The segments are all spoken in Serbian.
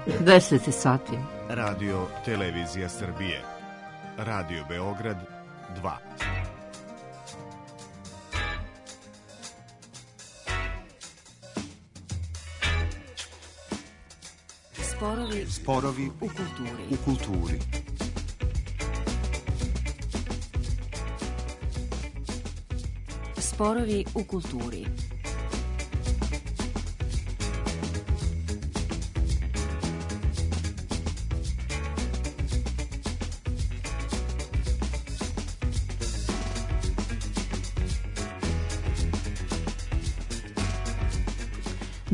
10 sati. Radio Televizija Srbije. Radio Beograd 2. Sporovi u kulturi. Sporovi u kulturi.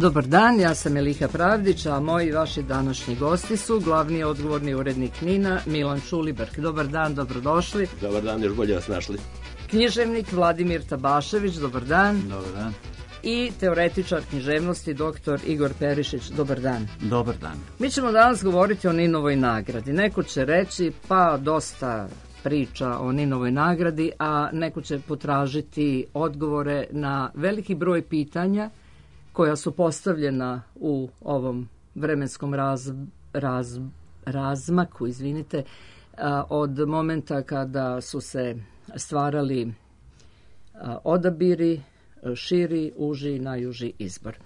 Dobar dan, ja sam Eliha Pravdić, a moji i vaši današnji gosti su glavni odgovorni urednik NIN-a Milan Čuliberk. Dobar dan, dobrodošli. Dobar dan, još bolje vas našli. Književnik Vladimir Tabašević, dobar dan. Dobar dan. I teoretičar književnosti dr. Igor Perišić, dobar dan. Dobar dan. Mi ćemo danas govoriti o Ninovoj nagradi. Neko će reći pa dosta priča o Ninovoj nagradi, a neko će potražiti odgovore na veliki broj pitanja koja su postavljena u ovom vremenskom razmaku, od momenta kada su se stvarali odabiri, širi, uži i najuži izbor.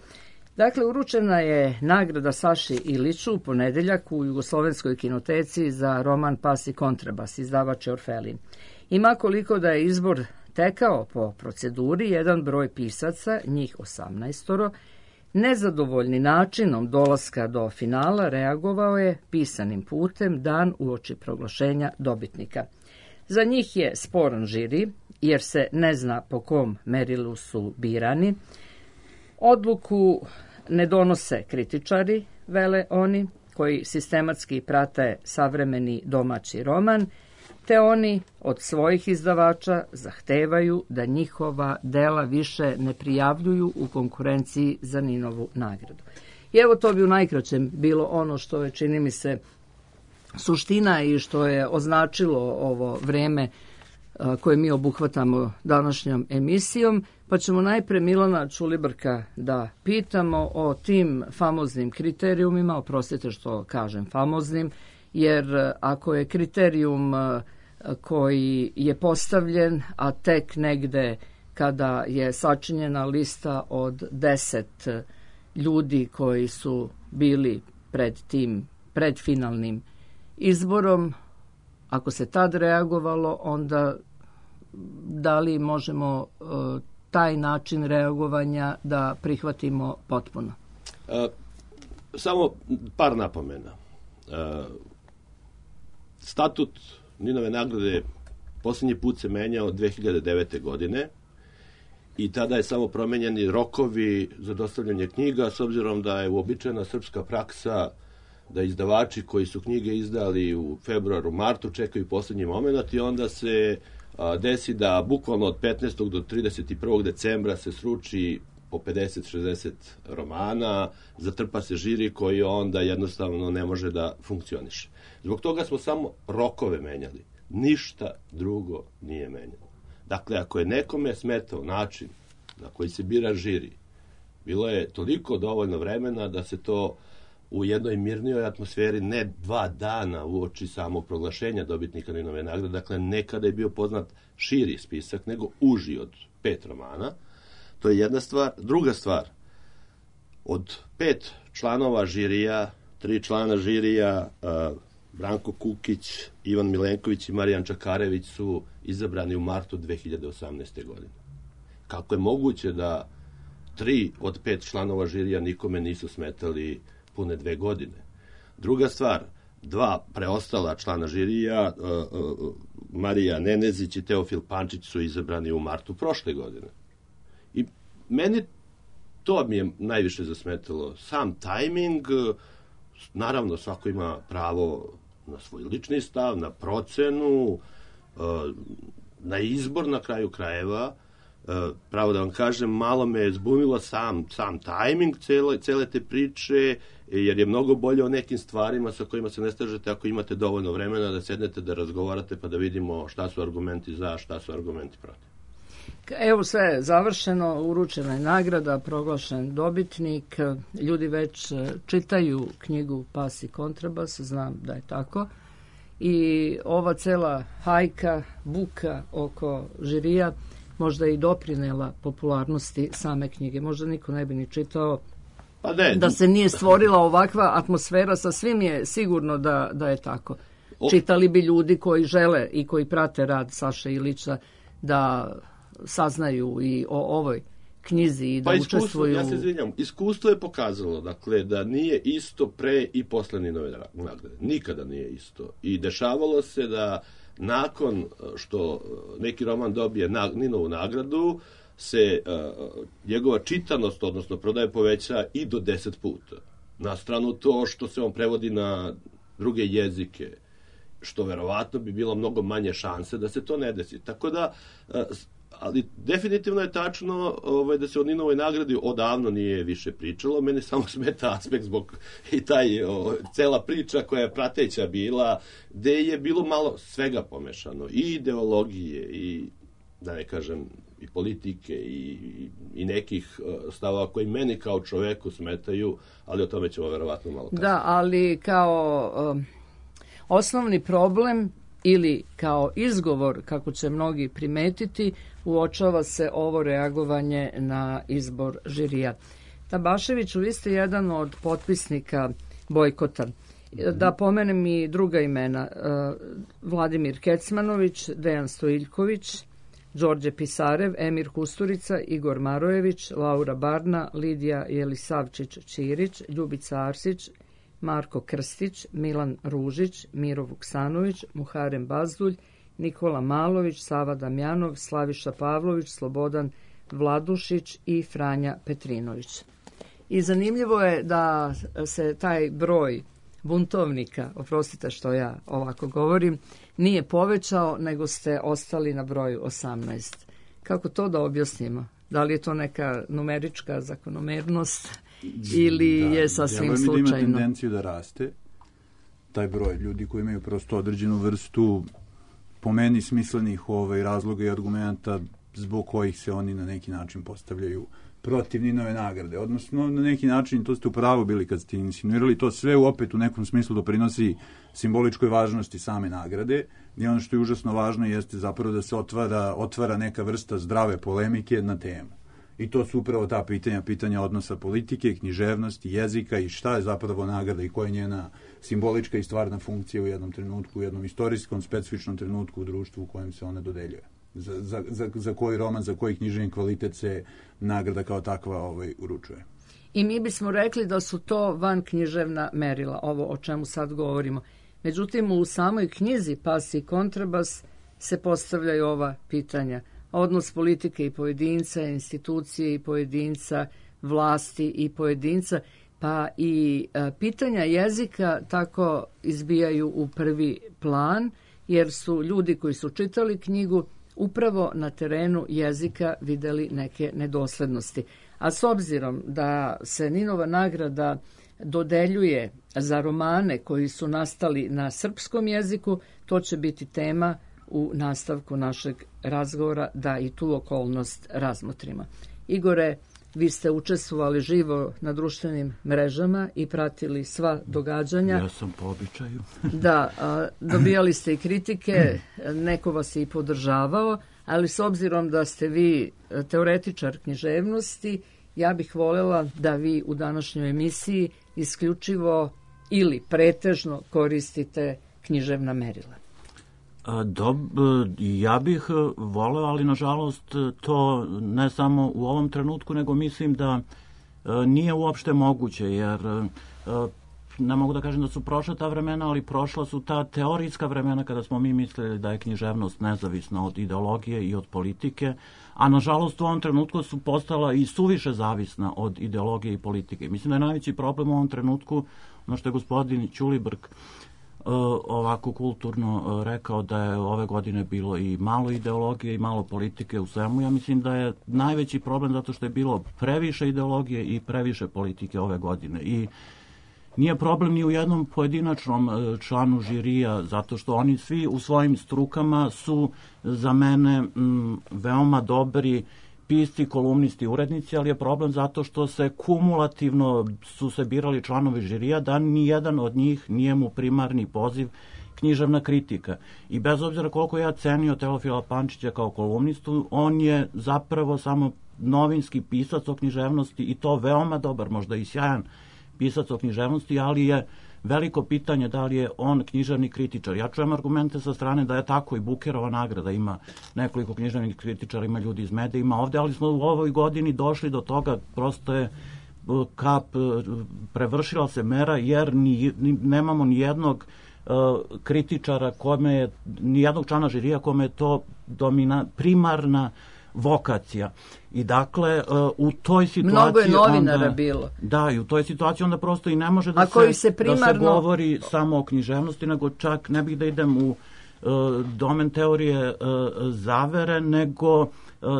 Dakle, uručena je nagrada Saši Iliću u ponedeljak u Jugoslovenskoj kinoteci za roman Pas i kontrabas, izdavač je Orfelin. Ima koliko da je izbor tekao po proceduri, jedan broj pisaca, njih 18, nezadovoljni načinom dolaska do finala reagovao je pisanim putem dan uoči proglašenja dobitnika. Za njih je sporan žiri, jer se ne zna po kom merilu su birani. Odluku ne donose kritičari, vele oni, koji sistematski prate savremeni domaći roman, te oni od svojih izdavača zahtevaju da njihova dela više ne prijavljuju u konkurenciji za Ninovu nagradu. I evo, to bi u najkraćem bilo ono što je, čini mi se, suština i što je označilo ovo vreme koje mi obuhvatamo današnjom emisijom, pa ćemo najpre Milana Čuliberka da pitamo o tim famoznim kriterijumima, oprostite što kažem famoznim, jer ako je kriterijum koji je postavljen, a tek negde kada je sačinjena lista od 10 ljudi koji su bili pred tim predfinalnim izborom, ako se tad reagovalo, onda da li možemo taj način reagovanja da prihvatimo potpuno? Samo par napomena. Statut Ninove nagrade posljednji put se menjao 2009. godine i tada je samo promenjeni rokovi za dostavljanje knjiga, s obzirom da je uobičajena srpska praksa da izdavači koji su knjige izdali u februaru, martu čekaju posljednji moment i onda se desi da bukvalno od 15. do 31. decembra se sruči po 50-60 romana, zatrpa se žiri koji onda jednostavno ne može da funkcioniše. Zbog toga smo samo rokove menjali. Ništa drugo nije menjalo. Dakle, ako je nekome smetao način na koji se bira žiri, bilo je toliko dovoljno vremena da se to u jednoj mirnijoj atmosferi, ne 2 dana uoči samog proglašenja dobitnika Ninove nagrade, dakle nekada je bio poznat širi spisak nego uži od 5 romana. To je jedna stvar. Druga stvar, od 5 članova žirija, 3 člana žirija, Branko Kukić, Ivan Milenković i Marijan Čakarević su izabrani u martu 2018. godine. Kako je moguće da 3 od 5 članova žirija nikome nisu smetali pune 2 godine? Druga stvar, 2 preostala člana žirija, Marija Nenezić i Teofil Pančić, su izabrani u martu prošle godine. I meni to mi je najviše zasmetalo. Sam tajming, naravno svako ima pravo na svoj lični stav, na procenu, na izbor na kraju krajeva. Pravo da vam kažem, malo me je zbunilo sam tajming cele te priče, jer je mnogo bolje o nekim stvarima sa kojima se ne slažete ako imate dovoljno vremena da sednete, da razgovarate, pa da vidimo šta su argumenti za, šta su argumenti protiv. Evo sve je završeno, uručena je nagrada, proglašen dobitnik, ljudi već čitaju knjigu Pas i kontrabas, znam da je tako. I ova cela hajka, buka oko žirija možda i doprinela popularnosti same knjige. Možda niko ne bi ni čitao da se nije stvorila ovakva atmosfera, sa svim je sigurno da je tako. Čitali bi ljudi koji žele i koji prate rad Saše Ilića da saznaju i o ovoj knjizi i da učestvuju. Ja se izvinjam, iskustvo je pokazalo dakle, da nije isto pre i posle Ninove nagrade. Nikada nije isto. I dešavalo se da nakon što neki roman dobije Ninovu nagradu, se njegova čitanost, odnosno prodaje, poveća i do 10 puta. Na stranu to što se on prevodi na druge jezike, što verovatno bi bilo mnogo manje šanse da se to ne desi. Tako da, ali definitivno je tačno da se o Ninovoj nagradi odavno nije više pričalo. Mene samo smeta aspekt zbog i cela priča koja je prateća bila, gde je bilo malo svega pomešano. I ideologije, i da ne kažem, i politike, i nekih stavova koji meni kao čoveku smetaju, ali o tome ćemo verovatno malo kasnije. Da, ali kao osnovni problem ili kao izgovor, kako će mnogi primetiti, uočava se ovo reagovanje na izbor žirija. Tabaševiću, vi ste jedan od potpisnika bojkota. Da pomenem i druga imena. Vladimir Kecmanović, Dejan Stojiljković, Đorđe Pisarev, Emir Kusturica, Igor Marojević, Laura Barna, Lidija Jelisavčić-Ćirić, Ljubica Arsić, Marko Krstić, Milan Ružić, Miro Vuksanović, Muharem Bazdulj, Nikola Malović, Sava Damjanov, Slaviša Pavlović, Slobodan Vladušić i Franja Petrinović. I zanimljivo je da se taj broj buntovnika, oprostite što ja ovako govorim, nije povećao, nego ste ostali na broju 18. Kako to da objasnimo? Da li je to neka numerička zakonomernost ili je sasvim slučajno? Da, ima tendenciju da raste. Taj broj ljudi koji imaju prosto određenu vrstu, po meni, smislenih razloga i argumenta zbog kojih se oni na neki način postavljaju protiv Ninove nagrade. Odnosno, na neki način, to ste u pravu bili kad ste insinuirali, to sve opet u nekom smislu doprinosi simboličkoj važnosti same nagrade. I ono što je užasno važno jeste zapravo da se otvara neka vrsta zdrave polemike na temu. I to su upravo ta pitanja odnosa politike, književnosti, jezika i šta je zapravo nagrada i koja je njena simbolička i stvarna funkcija u jednom trenutku, u jednom istorijskom, specifičnom trenutku u društvu u kojem se ona dodeljuje. Za koji roman, za koji književni kvalitet se nagrada kao takva uručuje. I mi bismo rekli da su to van književna merila, ovo o čemu sad govorimo. Međutim, u samoj knjizi Pas i kontrabas se postavljaju ova pitanja. Odnos politike i pojedinca, institucije i pojedinca, vlasti i pojedinca, pa i pitanja jezika tako izbijaju u prvi plan, jer su ljudi koji su čitali knjigu upravo na terenu jezika videli neke nedoslednosti. A s obzirom da se Ninova nagrada dodeljuje za romane koji su nastali na srpskom jeziku, to će biti tema u nastavku našeg razgovora da i tu okolnost razmotrimo. Igore, vi ste učestvovali živo na društvenim mrežama i pratili sva događanja. Ja sam po običaju. Da, dobijali ste i kritike, neko vas je i podržavao, ali s obzirom da ste vi teoretičar književnosti, ja bih voljela da vi u današnjoj emisiji isključivo ili pretežno koristite književna merila. Ja bih voleo, ali nažalost to ne samo u ovom trenutku, nego mislim da nije uopšte moguće, jer ne mogu da kažem da su prošla ta vremena, ali prošla su ta teorijska vremena kada smo mi mislili da je književnost nezavisna od ideologije i od politike, a nažalost u ovom trenutku su postala i suviše zavisna od ideologije i politike. Mislim da je najveći problem u ovom trenutku, ono što je gospodin Ćulibrk ovako kulturno rekao, da je ove godine bilo i malo ideologije i malo politike u svemu. Ja mislim da je najveći problem zato što je bilo previše ideologije i previše politike ove godine. I nije problem ni u jednom pojedinačnom članu žirija, zato što oni svi u svojim strukama su za mene veoma dobri pisci, kolumnisti, urednici, ali je problem zato što se kumulativno su se birali članovi žirija, da ni jedan od njih nije mu primarni poziv književna kritika. I bez obzira koliko ja cenio Teofila Pančića kao kolumnistu, on je zapravo samo novinski pisac o književnosti i to veoma dobar, možda i sjajan pisac o književnosti, ali je veliko pitanje da li je on književni kritičar. Ja čujem argumente sa strane da je tako i Bukerova nagrada, ima nekoliko književnih kritičara, ima ljudi iz medija, ima ovde, ali smo u ovoj godini došli do toga, prosto je kap prevršila se mera, jer nemamo ni jednog kritičara kome je, ni jednog člana žirija kome je to primarna vokacija. I dakle, u toj situaciji... Mnogo je novinara bilo. Da, i u toj situaciji onda prosto i ne može da se govori samo o književnosti, nego čak ne bih da idem u domen teorije zavere, nego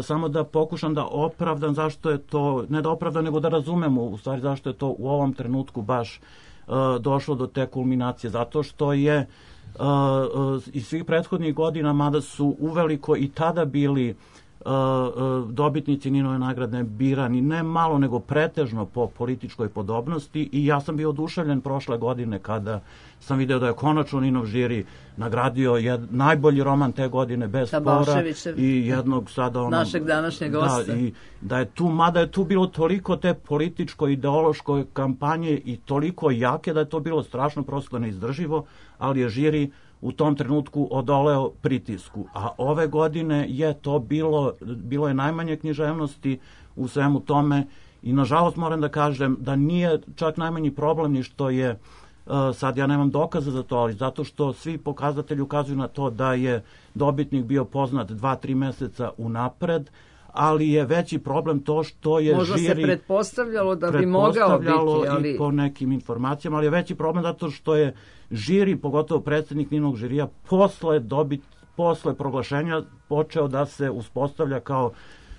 samo da pokušam da opravdam zašto je to, ne da opravdam, nego da razumemo u stvari zašto je to u ovom trenutku baš došlo do te kulminacije. Zato što je iz svih prethodnih godina, mada su uveliko i tada bili dobitnici Ninove nagrade birani ne malo nego pretežno po političkoj podobnosti, i ja sam bio oduševljen prošle godine kada sam video da je konačno Ninov žiri nagradio najbolji roman te godine bez spora i jednog sada našeg današnjeg gosta. I da je tu, mada je tu bilo toliko te političko-ideološke kampanje i toliko jake da je to bilo strašno prosto neizdrživo, ali je žiri u tom trenutku odoleo pritisku. A ove godine je to bilo je najmanje književnosti u svemu tome, i nažalost moram da kažem da nije čak najmanji problem ni što je, sad ja nemam dokaza za to, ali zato što svi pokazatelji ukazuju na to da je dobitnik bio poznat 2-3 meseca unapred, ali je veći problem to što je možda žiri... Možda se pretpostavljalo da bi mogao biti, ali... i po nekim informacijama, ali je veći problem zato što je žiri, pogotovo predsjednik Ninog žirija, posle proglašenja počeo da se uspostavlja kao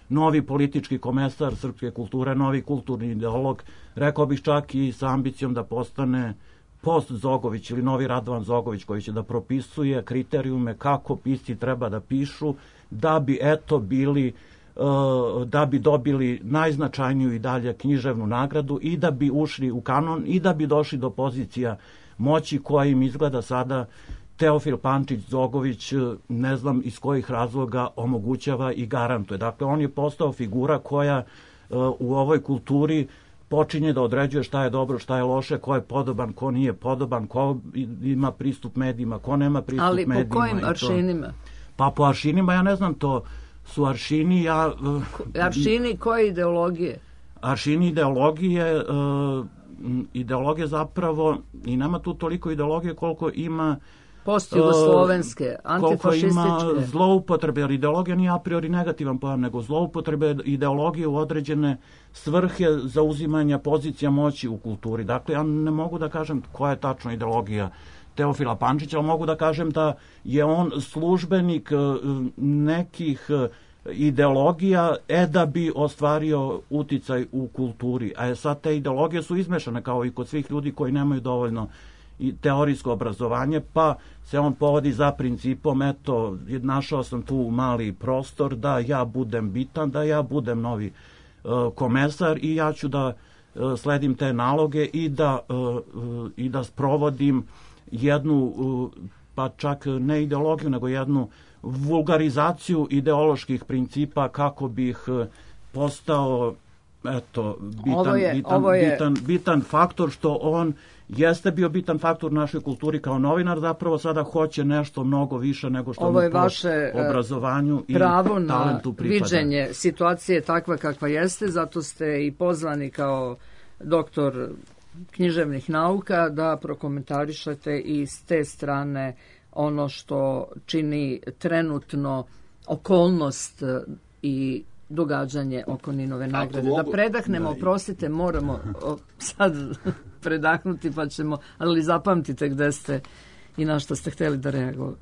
novi politički komesar srpske kulture, novi kulturni ideolog, rekao bih čak i sa ambicijom da postane post-Zogović ili novi Radovan Zogović, koji će da propisuje kriterijume kako pisci treba da pišu, da bi da bi dobili najznačajniju i dalje književnu nagradu i da bi ušli u kanon i da bi došli do pozicija moći koja im izgleda sada Teofil Pančić Zogović, ne znam iz kojih razloga, omogućava i garantuje. Dakle, on je postao figura koja u ovoj kulturi počinje da određuje šta je dobro, šta je loše, ko je podoban, ko nije podoban, ko ima pristup medijima, ko nema pristup medijima. Ali po kojim aršinima? Pa po aršinima, ja ne znam, to su aršini... Aršini koje ideologije? Aršini ideologije zapravo, i nema tu toliko ideologije koliko ima postjugoslovenske, antifašističke. Koliko ima zloupotrebe, jer ideologija nije a priori negativan pojam, nego zloupotrebe ideologije u određene svrhe zauzimanja pozicija moći u kulturi. Dakle, ja ne mogu da kažem koja je tačno ideologija Teofila Pančića, ali mogu da kažem da je on službenik nekih ideologija da bi ostvario uticaj u kulturi. A sad te ideologije su izmešane kao i kod svih ljudi koji nemaju dovoljno i teorijsko obrazovanje, pa se on povodi za principom, eto, našao sam tu mali prostor da ja budem bitan, da ja budem novi komesar i ja ću da sledim te naloge i da sprovodim jednu, pa čak ne ideologiju, nego jednu vulgarizaciju ideoloških principa kako bih postao bitan faktor, što on jeste bio bitan faktor u našoj kulturi kao novinar, zapravo sada hoće nešto mnogo više nego što mu po obrazovanju i talentu pripada. Viđenje situacije takva kakva jeste, zato ste i pozvani kao doktor književnih nauka da prokomentarišete i s te strane ono što čini trenutno okolnost i događanje oko Ninove nagrade. Da predahnemo, oprostite, moramo sad predahnuti, pa ćemo, ali zapamtite gde ste i na što ste hteli da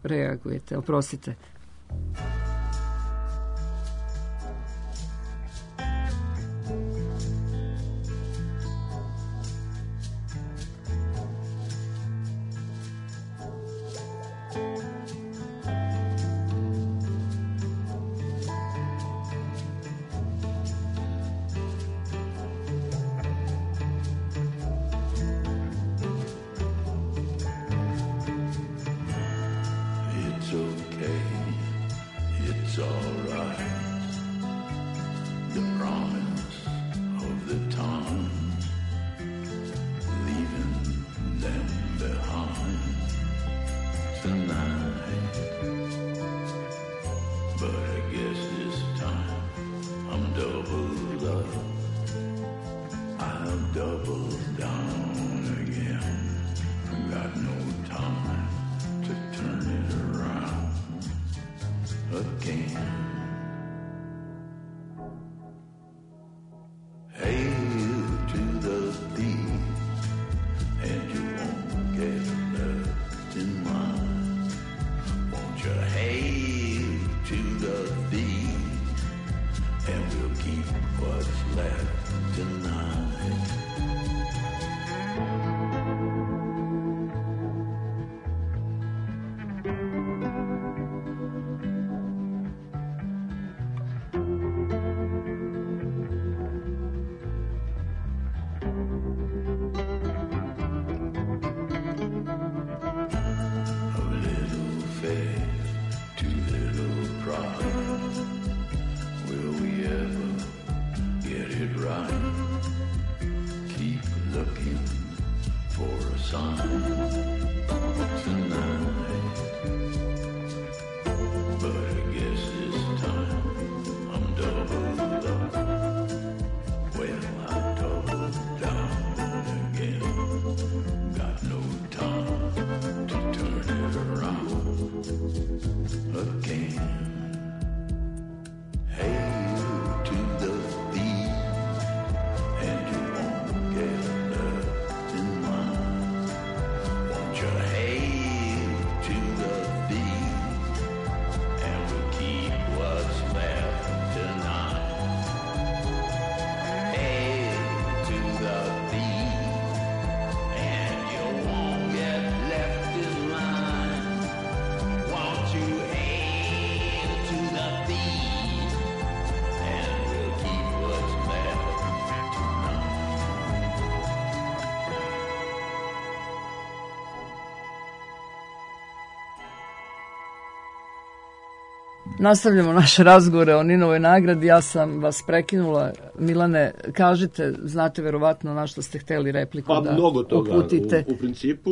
reagujete. Oprostite. it's alright. The promise of the time, leaving them behind tonight. But I guess this time I'm doubled up. I'll double down again. I got no time to turn it around again. Hail to the thief, and you won't get left in line. Won't you hail to the thief, and we'll keep what's left tonight. Nastavljamo naše razgovore o Ninovoj nagradi. Ja sam vas prekinula. Milane, kažite, znate verovatno na što ste hteli repliku da mnogo toga, uputite. U principu...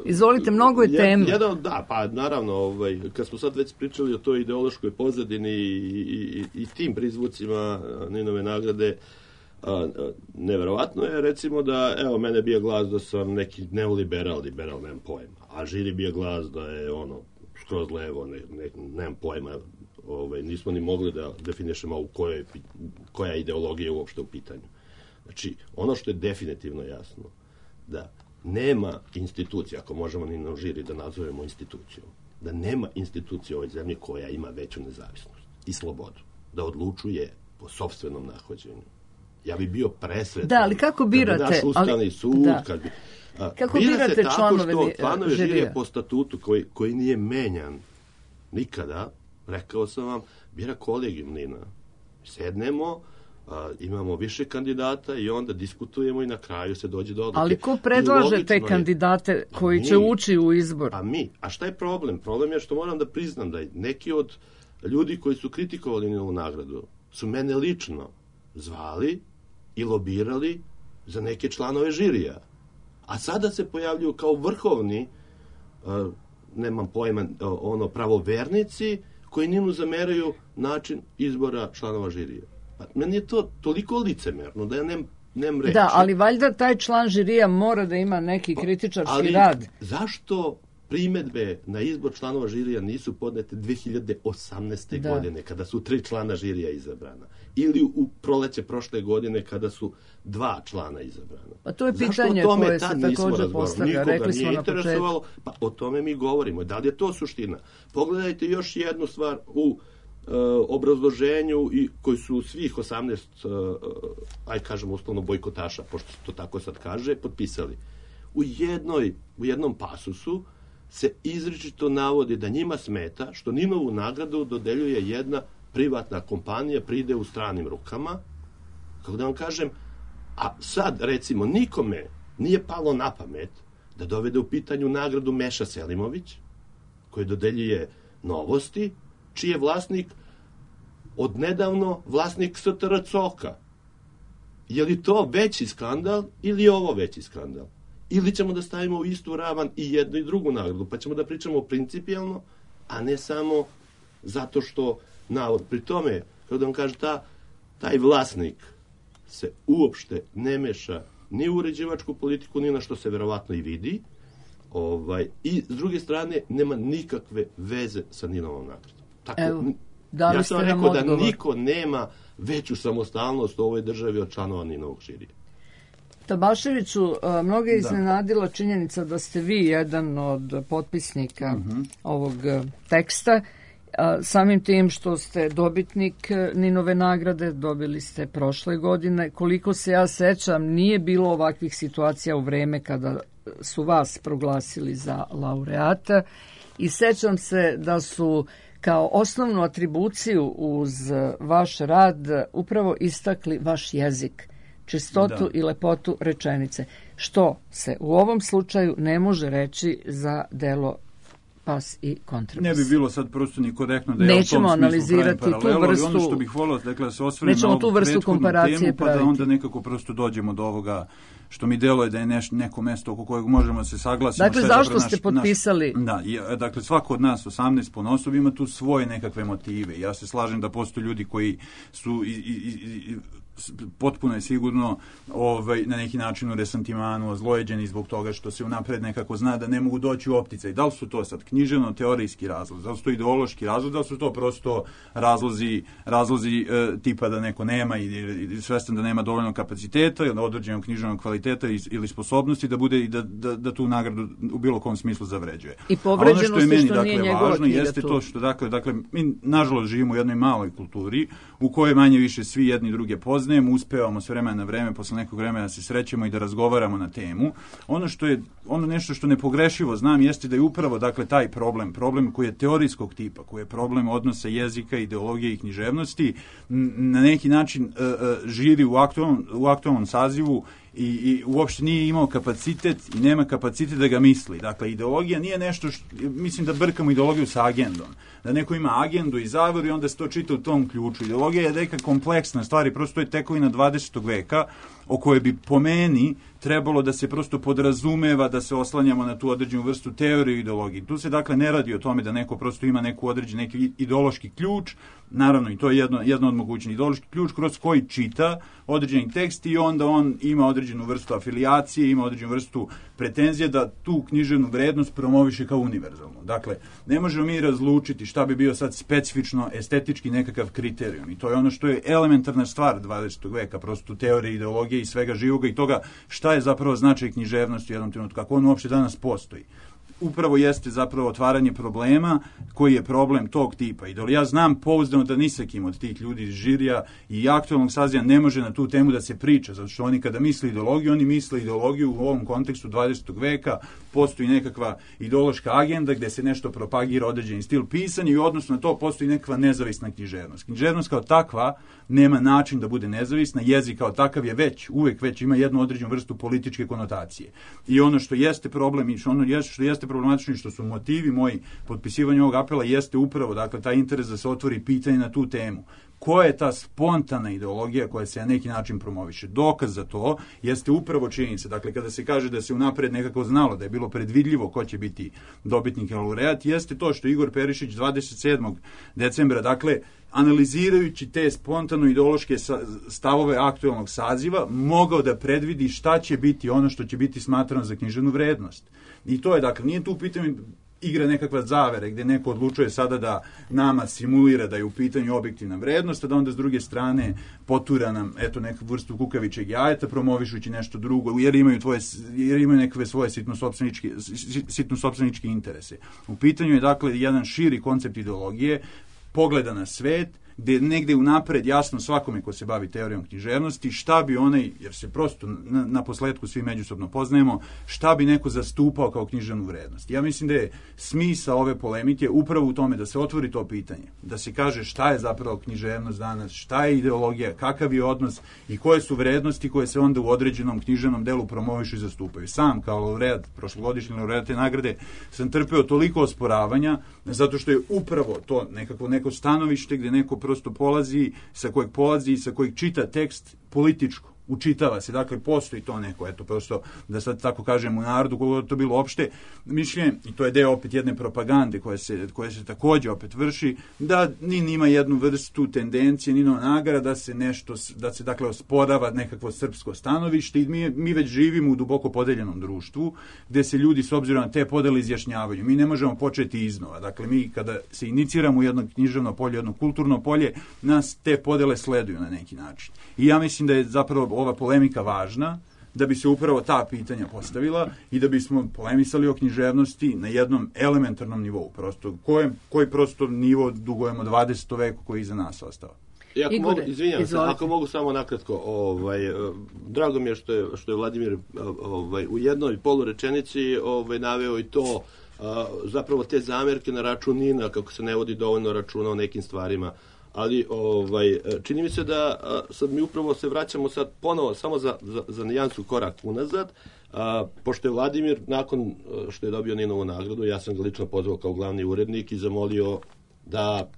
Izvolite, mnogo je tema. Da, pa naravno, kad smo sad već pričali o toj ideološkoj pozadini i tim prizvucima Ninove nagrade, neverovatno je, recimo da, evo, mene bija glas da sam neki neoliberal, nemam pojma, a žiri bija glas da je skroz levo, nemam pojma, nismo ni mogli da definišemo koja ideologija je uopšte u pitanju. Znači, ono što je definitivno jasno, da nema institucija, ako možemo ni na žiri da nazovemo institucijom, da nema institucije u ovoj zemlji koja ima veću nezavisnost i slobodu, da odlučuje po sopstvenom nahođenju. Ja bi bio presretan. Da, ali kako birate? Kad bi naš ustavni sud, kad bi... Kako birate članove žirija? Članovi žirija po statutu koji nije menjan nikada, rekao sam vam, bira kolegijum Nina. Sednemo, imamo više kandidata i onda diskutujemo i na kraju se dođe do odluke. Ali ko predlaže te kandidate koji će ući u izbor? A šta je problem? Problem je što moram da priznam da neki od ljudi koji su kritikovali Ninovu nagradu su mene lično zvali i lobirali za neke članove žirija. A sada se pojavljuju kao vrhovni, nemam pojma, pravovernici koji Ninu zameraju način izbora članova žirija. Pa meni je to toliko licemerno da ja nemam reći. Da, ali valjda taj član žirija mora da ima neki kritičarski rad. Ali zašto primedbe na izbor članova žirija nisu podnete 2018. godine, kada su 3 člana žirija izabrana? Ili u proleće prošle godine, kada su 2 člana izabrana? Pa to je pitanje koje se također postavlja. Rekli smo na početku. Pa o tome mi govorimo. Da li je to suština? Pogledajte još jednu stvar u obrazloženju koji su svih 18, aj kažemo uslovno bojkotaša, pošto to tako sad kaže, potpisali. U jednom pasusu se izričito navodi da njima smeta što Ninovu nagradu dodeljuje jedna privatna kompanija, pride u stranim rukama. Kako da vam kažem, a sad, recimo, nikome nije palo na pamet da dovede u pitanju nagradu Meša Selimović, koji dodeljuje Novosti, čiji je vlasnik odnedavno vlasnik STR Coka. Je li to veći skandal ili je ovo veći skandal? Ili ćemo da stavimo u istu ravan i jednu i drugu nagradu, pa ćemo da pričamo principijalno, a ne samo zato što navod. Pri tome, kao da vam kaže, taj vlasnik se uopšte ne meša ni u uređivačku politiku, ni na što se verovatno i vidi, i s druge strane nema nikakve veze sa Ninovom nagradom. Tako, evo, ja sam rekao da niko nema veću samostalnost u ovoj državi od članova Ninovog žirija. Tabaševiću, mnogo je iznenadila činjenica da ste vi jedan od potpisnika ovog teksta. Samim tim što ste dobitnik Ninove nagrade, dobili ste prošle godine. Koliko se ja sećam, nije bilo ovakvih situacija u vreme kada su vas proglasili za laureata. I sećam se da su kao osnovnu atribuciju uz vaš rad upravo istakli vaš jezik, čistotu i lepotu rečenice, što se u ovom slučaju ne može reći za delo Pas i kontrabas. Ne bi bilo sad prosto ni korektno da ja nećemo u tom analizirati smislu pravim paralelu, vrstu, ali ono što bih volio, dakle, da se osvrnem na tu ovu vrstu prethodnu komparacije temu, pa praviti. da onda nekako prosto dođemo do ovoga što mi deluje da je neko mesto oko kojeg možemo da se saglasimo. Dakle, zašto ste potpisali? Dakle, svako od nas 18 ponosob ima tu svoje nekakve motive. Ja se slažem da postoje ljudi koji su potpuno je sigurno na neki način u resantimanu ozlojeđeni zbog toga što se unapred nekako zna da ne mogu doći u opticaj. Da li su to sad književno-teorijski razlozi, da li su to ideološki razlozi, da li su to prosto razlozi tipa da neko nema i svestan da nema dovoljno kapaciteta ili određenog književnog kvaliteta ili sposobnosti da bude i da tu nagradu u bilo kom smislu zavređuje. I povređenosti što nije njegova važno jeste to što dakle mi nažalost živimo u jednoj maloj kulturi u kojoj manje više svi jedni druge poznajemo, uspevamo s vremena na vreme, posle nekog vremena se srećemo i da razgovaramo na temu. Ono nešto što nepogrešivo znam jeste da je upravo dakle taj problem koji je teorijskog tipa, koji je problem odnosa jezika, ideologije i književnosti, na neki način žiri u aktualnom sazivu i uopšte nije imao kapacitet i nema kapacitet da ga misli. Dakle, ideologija nije nešto mislim da brkamo ideologiju sa agendom. Da neko ima agendu i zaveru i onda se to čita u tom ključu. Ideologija je neka kompleksna stvar i prosto je tekovina 20. veka o kojoj bi po meni trebalo da se prosto podrazumeva da se oslanjamo na tu određenu vrstu teorije i ideologije. Tu se dakle ne radi o tome da neko prosto ima neki ideološki ključ, naravno i to je jedno od mogućnih, ideološki ključ kroz koji čita određeni tekst i onda on ima određenu vrstu afilijacije, ima određenu vrstu pretenzije da tu književnu vrednost promoviše kao univerzalnu. Dakle, ne možemo mi razlučiti šta bi bio sad specifično estetički nekakav kriterijum i to je ono što je elementarna stvar 20. veka, prosto teorije, ideologije i svega živoga i toga šta je zapravo značaj književnosti u jednom trenutku, kako on uopšte danas postoji. Upravo jeste zapravo otvaranje problema koji je problem tog tipa. I da li ja znam pouzdano da ni sa kim od tih ljudi iz žirija i aktualnog saziva ne može na tu temu da se priča, zato što oni kada misle ideologiju, oni misle ideologiju u ovom kontekstu 20. veka, postoji nekakva ideološka agenda gde se nešto propagira određeni stil pisanja i odnosno na to postoji nekakva nezavisna književnost. Književnost kao takva nema način da bude nezavisna, jezik kao takav je uvek ima jednu određenu vrstu političke konotacije. I ono što jeste problem i što jeste problematično i što su motivi moji potpisivanja ovog apela jeste upravo dakle taj interes da se otvori pitanje na tu temu. Koja je ta spontana ideologija koja se na neki način promoviše? Dokaz za to jeste upravo činjenica. Dakle, kada se kaže da se unapred nekako znalo, da je bilo predvidljivo ko će biti dobitnik i laureat, jeste to što Igor Perišić 27. decembra, dakle, analizirajući te spontano-ideološke stavove aktualnog saziva, mogao da predvidi šta će biti ono što će biti smatrano za književnu vrednost. I to je, dakle, nije tu u pitanju igra nekakva zavere gdje neko odlučuje sada da nama simulira da je u pitanju objektivna vrednost, a da onda s druge strane potura nam neku vrstu kukavičeg jajeta promovišući nešto drugo, jer imaju nekakve svoje sitno-sopstveničke interese. U pitanju je dakle jedan širi koncept ideologije, pogleda na svet gde je negde unapred jasno svakome ko se bavi teorijom književnosti šta bi onaj, jer se prosto na posledku svi međusobno poznajemo, šta bi neko zastupao kao književnu vrednost. Ja mislim da je smisao ove polemike upravo u tome da se otvori to pitanje, da se kaže šta je zapravo književnost danas, šta je ideologija, kakav je odnos i koje su vrednosti koje se onda u određenom književnom delu promovišu i zastupaju. Sam kao laureat, prošlogodišnji laureat te nagrade, sam trpeo toliko osporavanja, zato što je upravo to neko stanovište gde neko prosto polazi, sa kojeg čita tekst političko, učitava se, dakle postoji to neko, eto prosto da sad tako kažem u narodu, koliko to bilo opšte mišljenje, i to je deo opet jedne propagande koja se takođe opet vrši, da NIN ima jednu vrstu tendencije, Ninova nagrada, da se dakle osporava nekakvo srpsko stanovište i mi već živimo u duboko podeljenom društvu, gde se ljudi s obzirom na te podele izjašnjavaju. Mi ne možemo početi iznova. Dakle, mi kada se iniciramo u jedno književno polje, jedno kulturno polje, nas te podele sleduju na neki način. I ja mislim da je zapravo ova polemika važna, da bi se upravo ta pitanja postavila i da bismo polemisali o književnosti na jednom elementarnom nivou, prosto, koji prosto nivo dugujemo 20. veku koji je iza nas ostao. Ako mogu samo nakratko, drago mi je što je Vladimir u jednoj polurečenici naveo i to, zapravo te zamerke na račun Nina, kako se ne vodi dovoljno računa o nekim stvarima. Ali čini mi se da sad mi upravo se vraćamo sad ponovo samo za nijansu korak unazad, pošto je Vladimir nakon što je dobio Ninovu nagradu, ja sam ga lično pozvao kao glavni urednik i zamolio da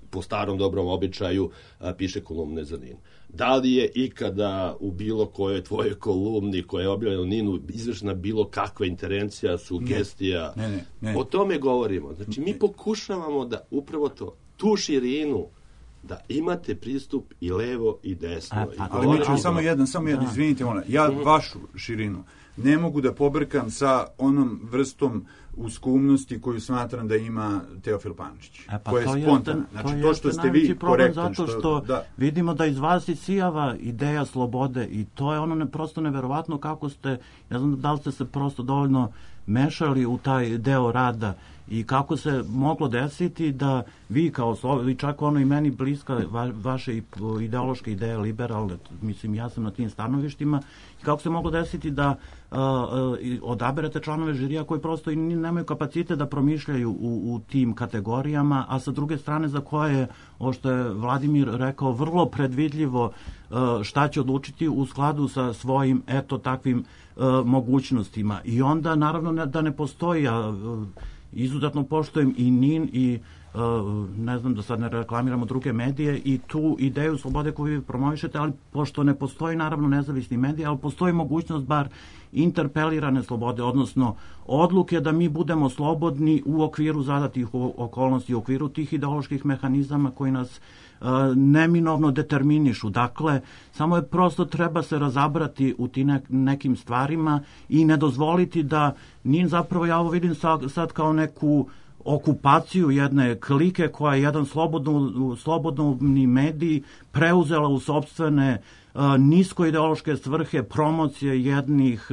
po starom dobrom običaju piše kolumne za Nin. Da li je ikada u bilo kojoj tvojoj kolumni koja je objavljena u Ninu izvršena bilo kakva intervencija, sugestija? Ne. O tome govorimo. Znači mi pokušavamo da upravo tu širinu, da imate pristup i levo i desno. Ali mi ćemo samo jedan, izvinite, ja vašu širinu ne mogu da pobrkam sa onom vrstom uskumnosti koju smatram da ima Teofil Pančić. Koja je spontana. Znači, to što ste vi korektan. Zato što vidimo da iz vas isijava ideja slobode i to je ono prosto neverovatno kako ste, ne znam da li ste se prosto dovoljno mešali u taj deo rada i kako se moglo desiti da vi kao vi čak ono i meni bliska vaše ideološke ideje liberalne, mislim ja sam na tim stanovištima, i kako se moglo desiti da odaberete članove žirija koji prosto i nemaju kapacitet da promišljaju u tim kategorijama, a sa druge strane za koje je, ovo što je Vladimir rekao, vrlo predvidljivo šta će odlučiti u skladu sa svojim takvim mogućnostima. I onda naravno da ne postoji, izuzetno poštujem i NIN i ne znam da sad ne reklamiramo druge medije i tu ideju slobode koju vi promovišete, ali pošto ne postoji naravno nezavisni mediji, ali postoji mogućnost bar interpelirane slobode, odnosno odluke da mi budemo slobodni u okviru zadatih okolnosti, u okviru tih ideoloških mehanizama koji nas neminovno determinišu. Dakle, samo je prosto treba se razabrati u tim nekim stvarima i ne dozvoliti da NIN zapravo, ja ovo vidim sad kao neku okupaciju jedne klike koja je jedan slobodni medij preuzela u sopstvene niskoideološke svrhe promocije jednih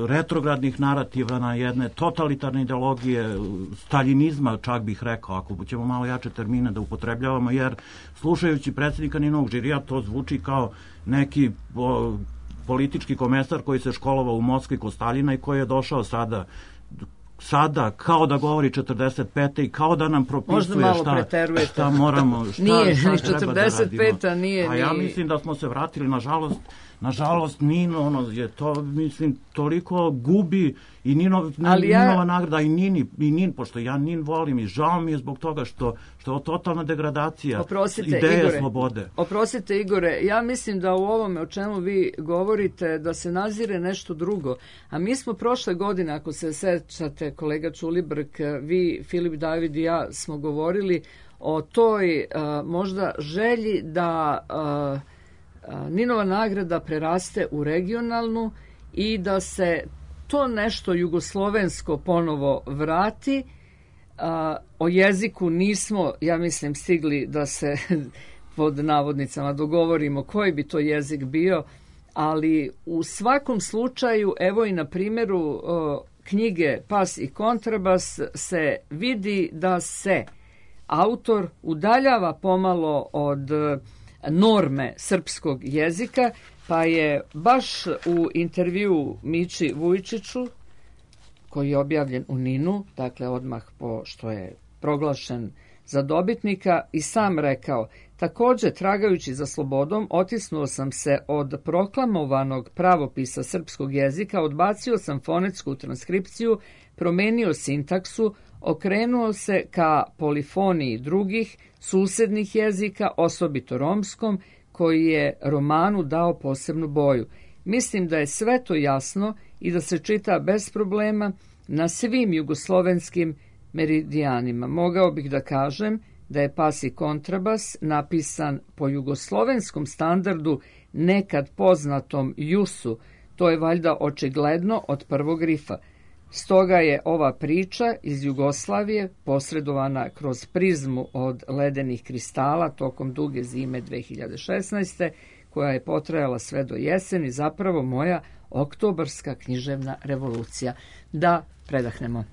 retrogradnih narativa na jedne totalitarne ideologije, staljinizma čak bih rekao, ako ćemo malo jače termine da upotrebljavamo, jer slušajući predsjednika Ninovog žirija to zvuči kao neki politički komesar koji se školovao u Moskvi kod Staljina i koji je došao sada kao da govori 45. i kao da nam propisuje šta moramo, šta treba da radimo. A ja mislim da smo se vratili, nažalost Nin, je to, mislim, toliko gubi i Ninova nagrada i Nin, pošto ja Nin volim i žao mi je zbog toga što je totalna degradacija ideje slobode. Oprostite, Igore, ja mislim da u ovome o čemu vi govorite da se nazire nešto drugo. A mi smo prošle godine, ako se sećate, kolega Čulibrk, vi, Filip David i ja smo govorili o toj možda želji da Ninova nagrada preraste u regionalnu i da se to nešto jugoslovensko ponovo vrati. O jeziku nismo, ja mislim, stigli da se pod navodnicama dogovorimo koji bi to jezik bio, ali u svakom slučaju, evo i na primjeru knjige Pas i kontrabas se vidi da se autor udaljava pomalo od norme srpskog jezika, pa je baš u intervju Mići Vujčiću, koji je objavljen u NIN-u, dakle odmah po što je proglašen za dobitnika, i sam rekao: također, tragajući za slobodom, otisnuo sam se od proklamovanog pravopisa srpskog jezika, odbacio sam fonetsku transkripciju, promenio sintaksu, okrenuo se ka polifoniji drugih susednih jezika, osobito romskom, koji je romanu dao posebnu boju. Mislim da je sve to jasno i da se čita bez problema na svim jugoslovenskim meridijanima. Mogao bih da kažem da je Pas i kontrabas napisan po jugoslovenskom standardu, nekad poznatom JUS-u. To je valjda očigledno od prvog rifa. Stoga je ova priča iz Jugoslavije posredovana kroz prizmu od ledenih kristala tokom duge zime 2016. koja je potrajala sve do jeseni, zapravo moja oktobarska književna revolucija. Da predahnemo.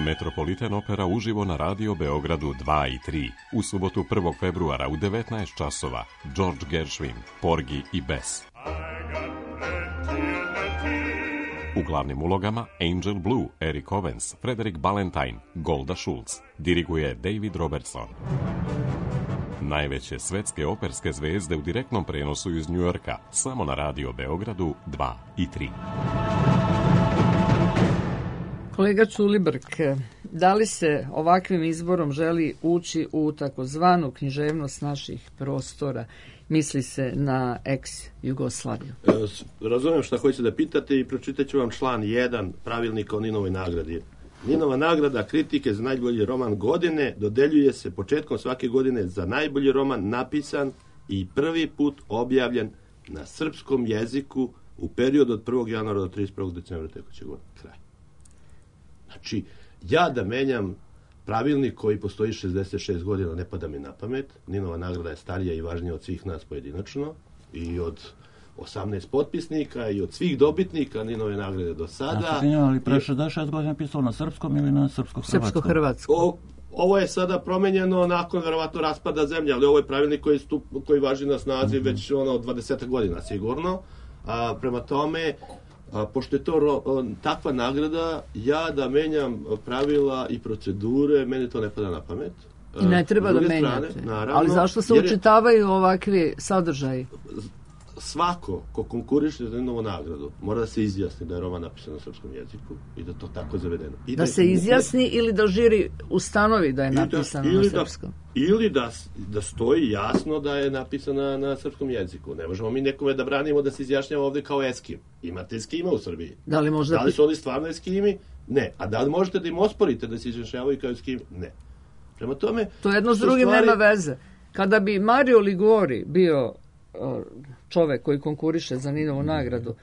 Metropolitan opera uživo na Radio Beogradu 2 i 3. U subotu 1. februara u 19 časova. George Gershwin, Porgy i Bess. U glavnim ulogama Angel Blue, Eric Owens, Frederick Ballantyne, Golda Schultz. Diriguje David Robertson. Najveće svetske operske zvezde u direktnom prenosu iz Njujorka, samo na Radio Beogradu 2 i 3. Kolega Ćulibrk, da li se ovakvim izborom želi ući u takozvanu književnost naših prostora? Misli se na ex-Jugoslaviju. Razumijem šta hoćete da pitate i pročitat ću vam član 1 pravilnika o Ninovoj nagradi. Ninova nagrada kritike za najbolji roman godine dodeljuje se početkom svake godine za najbolji roman napisan i prvi put objavljen na srpskom jeziku u periodu od 1. januara do 31. decembra tekuće godine. Kraj. Znači, ja da menjam pravilnik koji postoji 66 godina, ne pada mi na pamet. Ninova nagrada je starija i važnija od svih nas pojedinačno i od 18 potpisnika i od svih dobitnika Ninove nagrade do sada. Ali pre 66 godina pisalo na srpskom ili na srpsko-hrvatskom? Srpsko-hrvatsko. Ovo je sada promenjeno nakon verovatno raspada zemlje, ali ovo je pravilnik koji važi na snazi već od 20 godina sigurno. Prema tome, pošto je to takva nagrada, ja da menjam pravila i procedure, meni to ne pada na pamet. I ne treba da menjate. Naravno, ali zašto se učitavaju ovakvi sadržaji? Svako ko konkuriše za Ninovu nagradu mora da se izjasni da je roman napisan na srpskom jeziku i da to tako zavedeno. Da se izjasni ili da žiri ustanovi da je napisan na srpskom? Ili da stoji jasno da je napisana na srpskom jeziku. Ne možemo mi nekome da branimo da se izjašnjava ovde kao Eskim. Imate Eskima u Srbiji. Da li su oni stvarno Eskimi? Ne. A da li možete da im osporite da se izjašnjavaju kao Eskimi? Ne. Prema tome... To jedno s drugim nema veze. Kada bi Mario Ligori bio čovek koji konkuriše za Ninovu nagradu,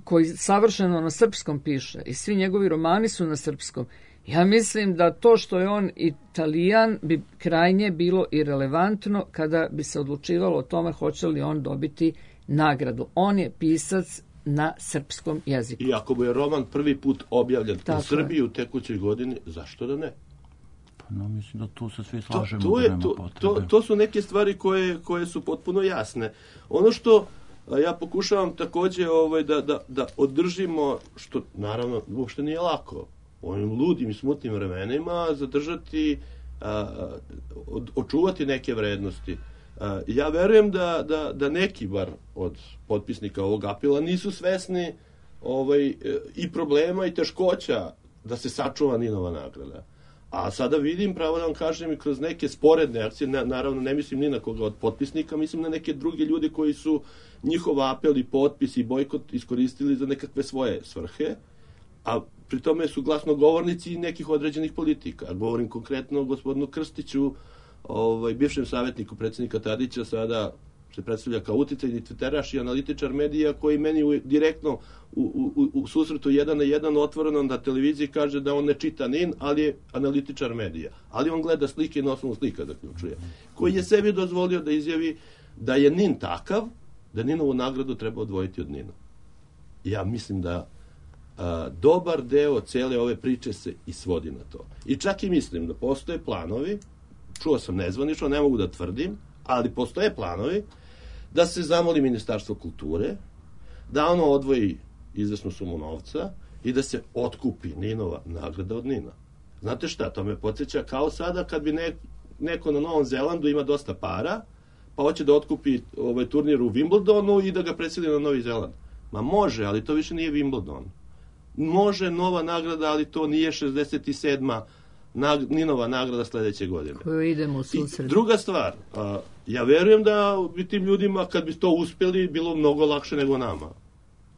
koji savršeno na srpskom piše i svi njegovi romani su na srpskom, ja mislim da to što je on Italijan bi krajnje bilo irelevantno kada bi se odlučivalo o tome hoće li on dobiti nagradu. On je pisac na srpskom jeziku. I ako bi je roman prvi put objavljen u Srbiji u tekućoj godini, zašto da ne? No, mislim da tu se svi slažemo. To su neke stvari koje su potpuno jasne. Ono što ja pokušavam takođe da održimo, što naravno uopšte nije lako, ovim ludim i smutnim vremenima zadržati, očuvati neke vrednosti. Ja verujem da neki bar od potpisnika ovog apela nisu svesni i problema i teškoća da se sačuva Ninova nagrada. A sada vidim, pravo da vam kažem, i kroz neke sporedne akcije, naravno ne mislim ni na koga od potpisnika, mislim na neke druge ljude koji su njihov apel i potpis i bojkot iskoristili za nekakve svoje svrhe, a pri tome su glasnogovornici nekih određenih politika. Govorim konkretno o gospodinu Krstiću, bivšem savjetniku predsjednika Tadića, sada se predstavlja kao uticajni tviteraš i analitičar medija koji meni direktno u susretu 1 na 1 otvoreno na televiziji kaže da on ne čita NIN, ali je analitičar medija. Ali on gleda slike i na osnovu slika zaključuje. Koji je sebi dozvolio da izjavi da je NIN takav, da Ninovu nagradu treba odvojiti od NIN-a. Ja mislim da dobar deo cele ove priče se i svodi na to. I čak i mislim da postoje planovi, čuo sam nezvanično, ne mogu da tvrdim, ali postoje planovi da se zamoli Ministarstvo kulture, da ono odvoji izvesnu sumu novca i da se otkupi Ninova nagrada od NIN-a. Znate šta, to me podsjeća kao sada kad bi neko na Novom Zelandu ima dosta para, pa hoće da otkupi turnir u Wimbledonu i da ga preseli na Novi Zeland. Ma može, ali to više nije Wimbledon. Može nova nagrada, ali to nije 67. Ninova nagrada sledeće godine. Koju idemo u susret. Druga stvar, ja verujem da bi tim ljudima, kad bi to uspeli, bilo mnogo lakše nego nama.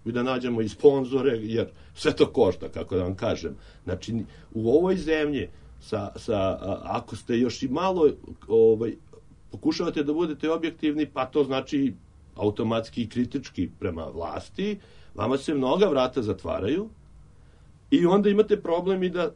I da nađemo i sponzore, jer sve to košta, kako da vam kažem. Znači, u ovoj zemlji, ako ste još i malo pokušavate da budete objektivni, pa to znači automatski i kritički prema vlasti, vama se mnoga vrata zatvaraju i onda imate problem i da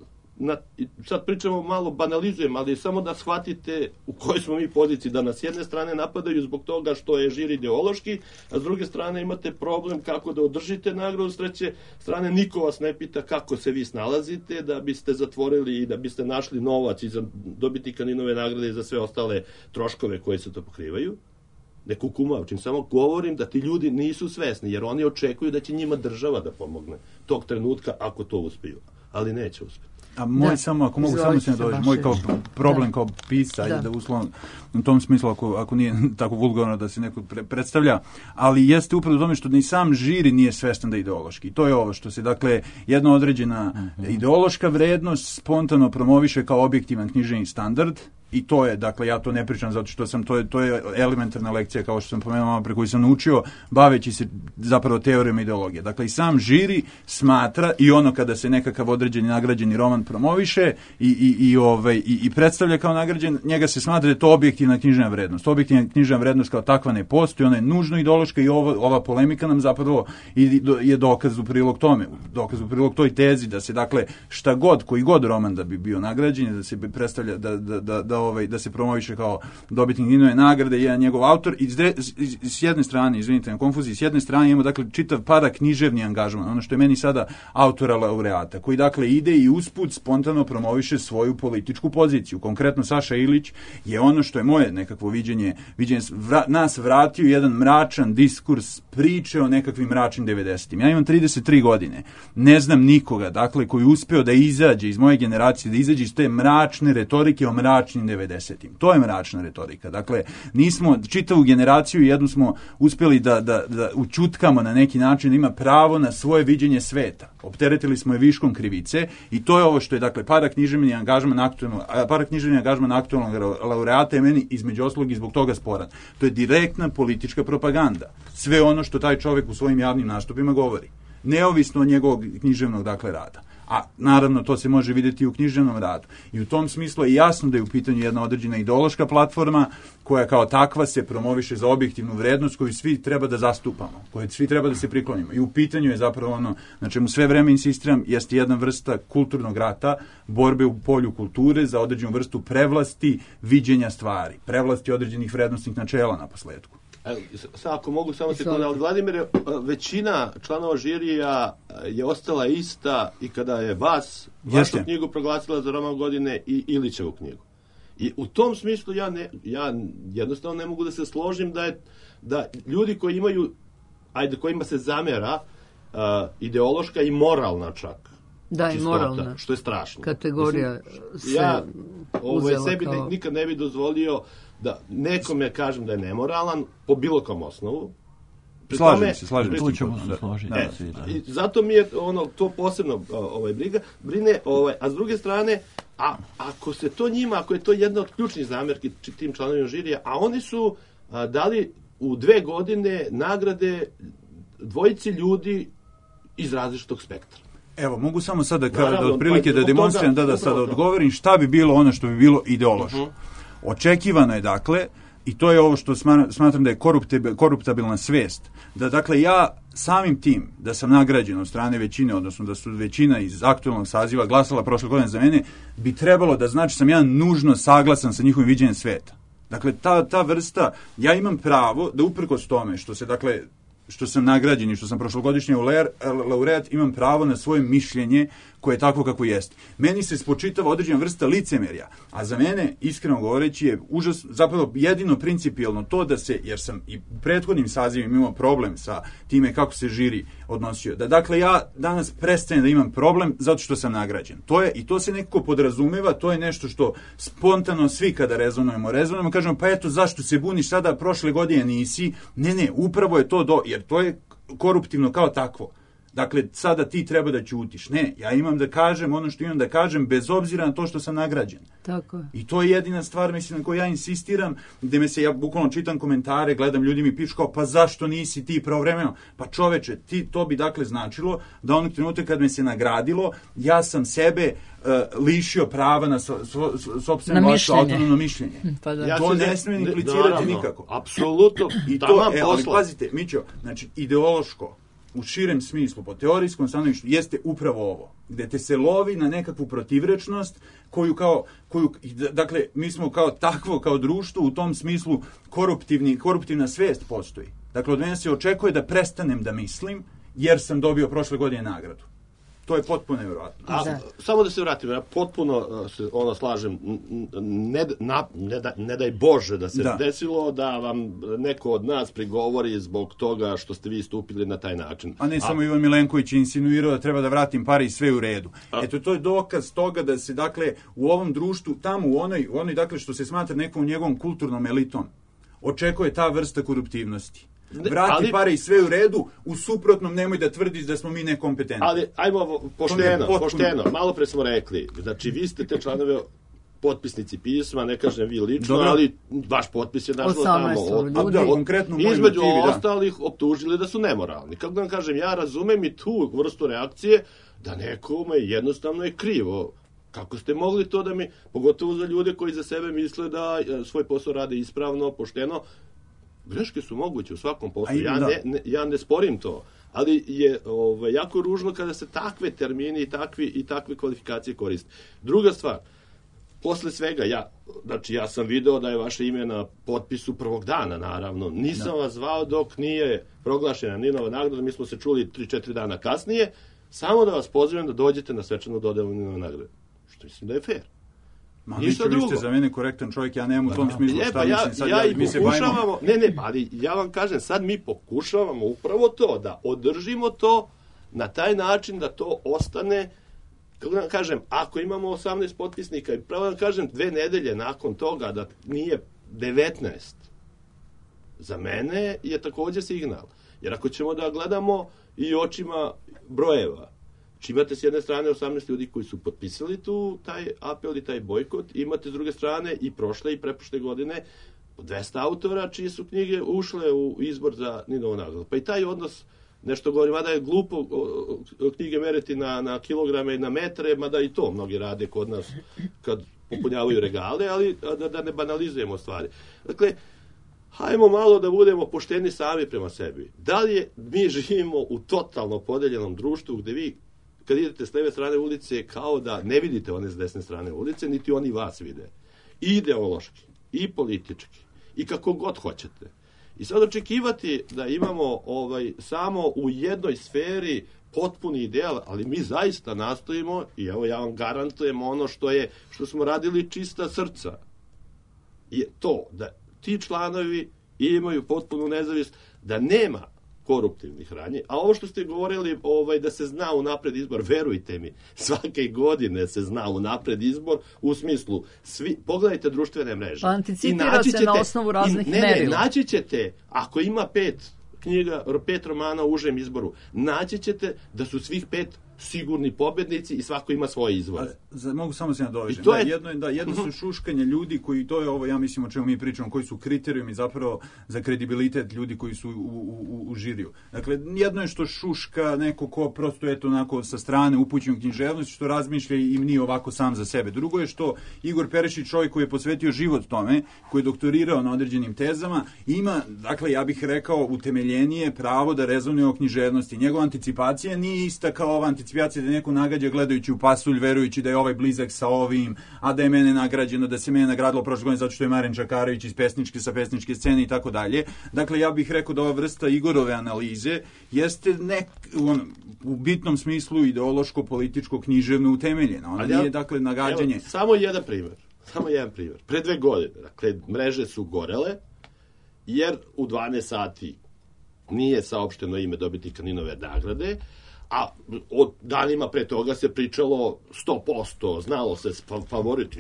sad pričamo malo, banalizujem, ali samo da shvatite u kojoj smo mi poziciji, da nas s jedne strane napadaju zbog toga što je žir ideološki, a s druge strane imate problem kako da održite nagradu, s treće strane niko vas ne pita kako se vi snalazite da biste zatvorili i da biste našli novac i za dobitnika Ninove nagrade i za sve ostale troškove koje se to pokrivaju. Ne kukumavčim, samo govorim da ti ljudi nisu svesni, jer oni očekuju da će njima država da pomogne tog trenutka ako to uspiju, ali neće uspjeti. A moj samo, ako mogu samo se nadovežem, moj kao problem kao pisca, ajde da uslovno, u tom smislu, ako nije tako vulgarno da se neko predstavlja, ali jeste upravo u tome što ni sam žiri nije svestan da je ideološki. I to je ovo što se, dakle, jedna određena ideološka vrednost spontano promoviše kao objektivan književni standard. I to je, dakle, ja to ne pričam zato što to je elementarna lekcija, kao što sam pomenuo malo pre, koju sam naučio baveći se zapravo teorijom ideologije. Dakle, i sam žiri smatra, i ono kada se nekakav određeni nagrađeni roman promoviše i predstavlja kao nagrađen, njega se smatra da je to objektivna književna vrednost. Objektivna književna vrednost kao takva ne postoji, ona je nužno ideološka i ova polemika nam zapravo je dokaz u prilog tome, dokaz u prilog toj tezi da se, dakle, šta god, koji god roman da bi bio nagrađen, da se predstavlja, da se promoviše kao dobitnik Ninove nagrade, jedan njegov autor, i s jedne strane, izvinite na konfuziji, s jedne strane imamo, dakle, čitav paraknjiževni angažman, ono što je meni sada autora laureata, koji, dakle, ide i usput spontano promoviše svoju političku poziciju. Konkretno Saša Ilić je ono što je moje nekakvo viđenje nas vratio jedan mračan diskurs priče o nekakvim mračnim 90-im. Ja imam 33 godine, ne znam nikoga, dakle, koji uspeo da izađe iz moje generacije, da izađe iz te mračne retorike o mračnim 90-im. To je mračna retorika. Dakle, nismo čitavu generaciju, jednu smo uspjeli da učutkamo na neki način, da ima pravo na svoje viđenje sveta. Opteretili smo je viškom krivice i to je ovo što je, dakle, paraknjiževni angažman aktualnog laureata je meni između ostalog i zbog toga sporan. To je direktna politička propaganda. Sve ono što taj čovjek u svojim javnim nastupima govori. Neovisno od njegovog književnog, dakle, rada. A naravno to se može vidjeti i u književnom radu. I u tom smislu je jasno da je u pitanju jedna određena ideološka platforma koja kao takva se promoviše za objektivnu vrednost koju svi treba da zastupamo, koju svi treba da se priklonimo. I u pitanju je zapravo ono na čemu sve vreme insistiram, jeste jedna vrsta kulturnog rata, borbe u polju kulture za određenu vrstu prevlasti viđenja stvari, prevlasti određenih vrednostnih načela na posledku. Ako mogu samo sekundu, ali Vladimire, većina članova žirija je ostala ista i kada je vašu knjigu proglasila za roman godine i Ilićevu knjigu. I u tom smislu ja jednostavno ne mogu da se složim da ljudi koji imaju, kojima se zamera ideološka i moralna čak. Da, i moralna. Što je strašno. Kategorija ja sebi nikad ne bi dozvolio da nekome kažem da je nemoralan po bilo kom osnovu. Slažem se. Tu ćemo se složiti. I zato mi je to posebno brine, a s druge strane, ako se to njima, ako je to jedna od ključnih zamjerki tim članovima žirija, a oni su dali u 2 godine nagrade dvojici ljudi iz različitog spektra. Evo, mogu samo sada da otprilike da demonstriram, da sada odgovorim šta bi bilo ono što bi bilo ideološko. Očekivano je, dakle, i to je ovo što smatram da je koruptabilna svest, da, dakle, ja samim tim da sam nagrađen od strane većine, odnosno da su većina iz aktualnog saziva glasala prošle godine za mene, bi trebalo da znači sam ja nužno saglasan sa njihovim viđenjem sveta. Dakle, ta vrsta, ja imam pravo da uprkos tome što se, dakle, što sam nagrađen i što sam prošlogodišnji laureat, imam pravo na svoje mišljenje koje je takvo kako jeste. Meni se spočitava određena vrsta licemerja, a za mene, iskreno govoreći, je zapravo jedino principijelno to da se, jer sam i u prethodnim sazivima imao problem sa time kako se žiri odnosio, da, dakle, ja danas prestajem da imam problem zato što sam nagrađen. I to se nekako podrazumeva, to je nešto što spontano svi kada rezonujemo, kažemo, pa eto, zašto se buniš sada, prošle godine nisi? Ne, upravo je to jer to je koruptivno kao takvo. Dakle, sada ti treba da ćutiš. Ne, ja imam da kažem ono što imam da kažem bez obzira na to što sam nagrađen. Tako je. I to je jedina stvar, mislim, na koju ja insistiram, gde ja bukvalno čitam komentare, gledam, ljudi mi pišu kao, pa zašto nisi ti pravovremeno? Pa čoveče, to bi dakle značilo da onog trenutka kad me se nagradilo, ja sam sebe lišio prava na sopstveno vaše autonomno mišljenje. Pa da. To ne smije implicirati nikako. Apsolutno. I to, ali pazite, Mićo, znači, ideološko, u širem smislu, po teorijskom stanovištu, jeste upravo ovo, gde te se lovi na nekakvu protivrečnost koju, dakle, mi smo kao društvo u tom smislu koruptivna svest postoji. Dakle, od mene se očekuje da prestanem da mislim, jer sam dobio prošle godine nagradu. To je potpuno nevjerojatno. Samo da se vratim, ja potpuno se slažem, ne daj Bože da se desilo da vam neko od nas prigovori zbog toga što ste vi stupili na taj način. A ne samo Ivan Milenković je insinuirao da treba da vratim pare i sve u redu. Eto, to je dokaz toga da se, dakle, u ovom društvu, tamo u onoj, dakle, što se smatra nekom njegovom kulturnom elitom, očekuje ta vrsta koruptivnosti. Vrati pare i sve u redu, u suprotnom nemoj da tvrdiš da smo mi nekompetentni. Ali, ajmo pošteno, malo pre smo rekli, znači vi ste te članove potpisnici pisma, ne kažem vi lično, ali vaš potpis je našlo tamo. Između ostalih optužili da su nemoralni. Kako da vam kažem, ja razumem i tu vrstu reakcije da nekome jednostavno je krivo. Kako ste mogli to da mi, pogotovo za ljude koji za sebe misle da svoj posao rade ispravno, pošteno, greške su moguće u svakom poslu, ja ne sporim to, ali je jako ružno kada se takve termini i takve kvalifikacije koriste. Druga stvar, posle svega, ja sam video da je vaše ime na potpisu prvog dana, naravno, nisam vas zvao dok nije proglašena Ninova nagrada, mi smo se čuli 3-4 dana kasnije, samo da vas pozivam da dođete na svečanu dodelu Ninove nagrade, što mislim da je fair. Vi ste za mene korektan čovjek, ja nemam u tom smislu šta mislim sad, mi se bavimo. Ali ja vam kažem, sad mi pokušavamo upravo to, da održimo to na taj način da to ostane, kako da vam kažem, ako imamo 18 potpisnika i pravo da vam kažem 2 nedelje nakon toga da nije 19, za mene je također signal. Jer ako ćemo da gledamo i očima brojeva, imate s jedne strane 18 ljudi koji su potpisali taj apel i taj bojkot, imate s druge strane i prošle i preprošle godine 200 autora čije su knjige ušle u izbor za Ninovu nagradu. Pa i taj odnos, nešto govorim, mada je glupo knjige meriti na kilograme i na metre, mada i to mnogi rade kod nas kad popunjavaju regale, ali da ne banalizujemo stvari. Dakle, hajmo malo da budemo pošteni sami prema sebi. Da li mi živimo u totalno podeljenom društvu gde vi kad idete s leve strane ulice, kao da ne vidite one s desne strane ulice, niti oni vas vide. I ideološki, i politički, i kako god hoćete. I sad očekivati da imamo samo u jednoj sferi potpuni ideal, ali mi zaista nastojimo, i evo ja vam garantujem ono što smo radili čista srca, je to da ti članovi imaju potpunu nezavisnost, da nema koruptivnih radnji, a ovo što ste govorili da se zna unapred izbor, verujte mi, svake godine se zna unapred izbor u smislu, pogledajte društvene mreže. Pa anticipira se na osnovu raznih merila. Naći ćete, ako ima 5 knjiga, 5 romana u užem izboru, naći ćete da su svih 5 sigurni pobednici i svako ima svoje izvore. Mogu samo se nadovežem. Jedno su šuškanje ljudi koji, to je ovo, ja mislim o čemu mi pričamo, koji su kriterijumi zapravo za kredibilitet ljudi koji su u žiriju. Dakle, jedno je što šuška neko ko prosto je to onako sa strane upućen književnosti, što razmišlja i nije ovako sam za sebe. Drugo je što Igor Perišić, čovjek koji je posvetio život tome, koji je doktorirao na određenim tezama, ima, dakle, ja bih rekao, utemeljenije pravo da rezonuje o književnosti. Njegova anticipacija nije ista kao ova anticipacija da neko nagađa gledajući u pasulj, verujući da je ovaj blizak sa ovim, a da je mene nagrađeno, da se mene nagradilo prošle godine zato što je Maren Čakarević iz sa pesničke scene i tako dalje. Dakle, ja bih rekao da ova vrsta Igorove analize jeste u bitnom smislu ideološko, političko, književno utemeljena. Ona nije, dakle, nagađanje. Evo, samo jedan primjer. Pre 2 godine, dakle, mreže su gorele, jer u 12 sati nije saopšteno ime dobitnika Ninove nagrade, a od danima pre toga se pričalo 100%, znalo se favorit,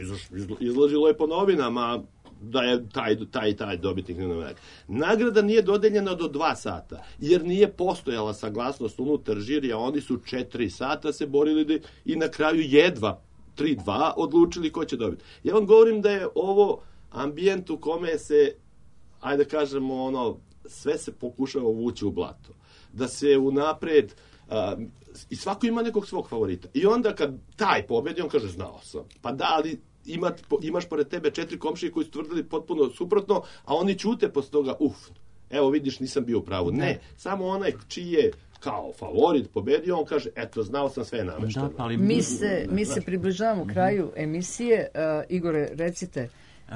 izlazilo je po novinama da je taj dobitnik Ninove nagrade. Nagrada nije dodeljena do 2 sata, jer nije postojala saglasnost unutar žirija, oni su 4 sata se borili i na kraju jedva 3-2 odlučili ko će dobiti. Ja vam govorim da je ovo ambijent u kome se, ajde kažemo, sve se pokušava uvući u blato. Da se unapred i svako ima nekog svog favorita. I onda kad taj pobedi, on kaže, znao sam. Pa da, ali imaš pored tebe 4 komšije koji su tvrdili potpuno suprotno, a oni ćute posle toga, evo vidiš, nisam bio u pravu. Ne, samo onaj čiji je kao favorit pobedio, on kaže, eto, znao sam sve namešteno. Mi se približavamo kraju emisije. Igore, recite.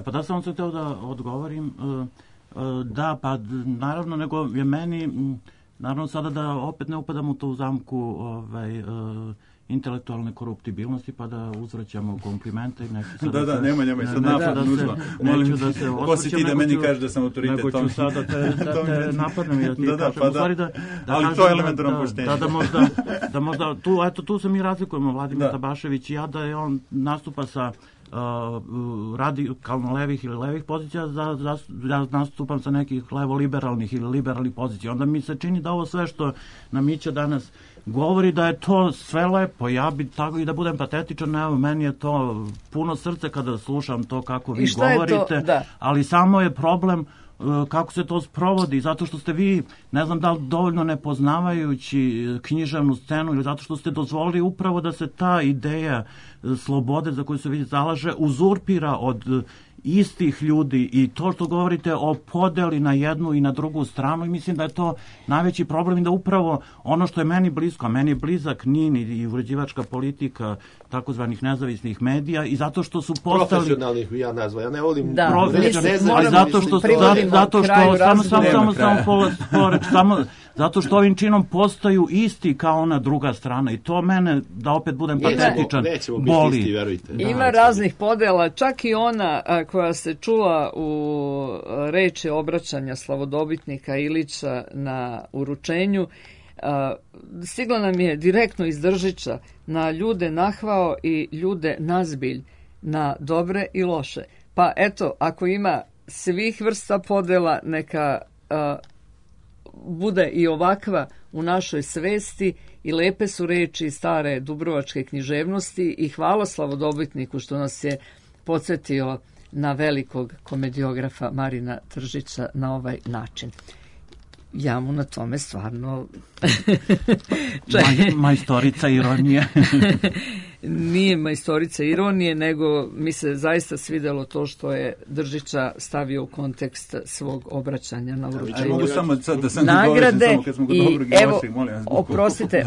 Pa da sam se hteo da odgovorim. Da, pa naravno, nego je meni, naravno sada da opet ne upadam u tu zamku intelektualne koruptibilnosti, pa da uzvraćamo komplimente. Da, nemoj, sad napad nužno. Neću da se ko si ti da meni kažeš da sam autoritet? Nego ću sad da te napadnem i da ti kažem. Ali to je elementarno poštenje. Da možda, tu se mi razlikujemo, Vladimir Tabašević i ja, da je on nastupa sa radikalno levih ili levih pozicija, ja nastupam sa nekih levo-liberalnih ili liberalnih pozicija. Onda mi se čini da ovo sve što nam Mića danas govori, da je to sve lepo. Ja bi tako i da budem patetičan, evo, meni je to puno srce kada slušam to kako vi govorite, ali samo je problem kako se to sprovodi, zato što ste vi, ne znam da li dovoljno ne poznavajući književnu scenu ili zato što ste dozvolili upravo da se ta ideja slobode za koju se vi zalaže uzurpira od istih ljudi i to što govorite o podeli na jednu i na drugu stranu, i mislim da je to najveći problem i da upravo ono što je meni blisko, a meni je blizak NIN i uređivačka politika takozvanih nezavisnih medija i zato što su postali... Profesionalnih ja nazva, ja ne volim... Zato što ovim činom postaju isti kao ona druga strana i to mene, da opet budem patetičan, boli. Isti, verujte. Ima raznih podela, čak i ona koja se čula u reči obraćanja slavodobitnika Ilića na uručenju, stigla nam je direktno iz Držića, na ljude nahvao i ljude nazbilj, na dobre i loše. Pa eto, ako ima svih vrsta podela, neka bude i ovakva u našoj svesti i lepe su reči stare dubrovačke književnosti i hvala slavodobitniku što nas je podsjetio na velikog komediografa Marina Tržića na ovaj način. Ja mu na tome stvarno... Majstorica ironije. Nije majstorica ironije, nego mi se zaista svidelo to što je Držića stavio u kontekst svog obraćanja na uručenju. Mogu samo sad da sam nagrade samo kad smo kod dobrog i lošeg, molim vas.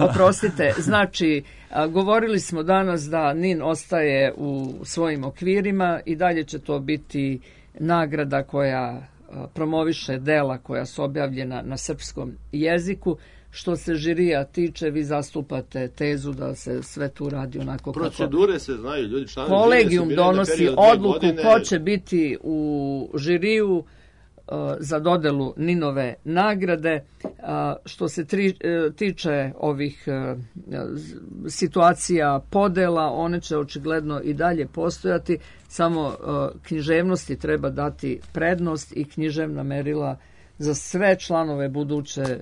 Oprostite, znači govorili smo danas da NIN ostaje u svojim okvirima i dalje će to biti nagrada koja promoviše dela koja su objavljena na srpskom jeziku. Što se žirija tiče, vi zastupate tezu da se sve tu radi onako kako... Procedure se znaju, ljudi članovi... Kolegijum donosi odluku ko će biti u žiriju za dodelu NIN-ove nagrade. Što se tiče ovih situacija podela, one će očigledno i dalje postojati, samo književnosti treba dati prednost i književna merila za sve članove buduće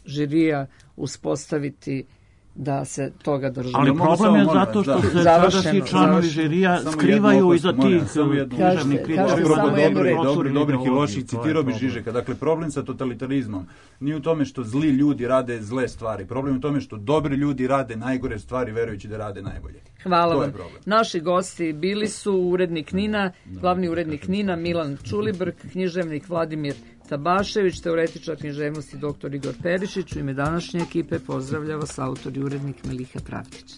žirija uspostaviti da se toga drži. Ali problem je zato što se sadašnji članovi žirija skrivaju iza tih književnih kritika. Dobrih i loših, citirao bi Žižeka. Dakle, problem sa totalitarizmom nije u tome što zli ljudi rade zle stvari. Problem je u tome što dobri ljudi rade najgore stvari verujući da rade najbolje. Hvala vam. Naši gosti bili su urednik NIN-a, glavni urednik NIN-a Milan Čulibrk, književnik Vladimir Tabašević, teoretičar književnosti dr. Igor Perišić. U ime današnje ekipe pozdravlja vas autor i urednik Miliha Pravdić.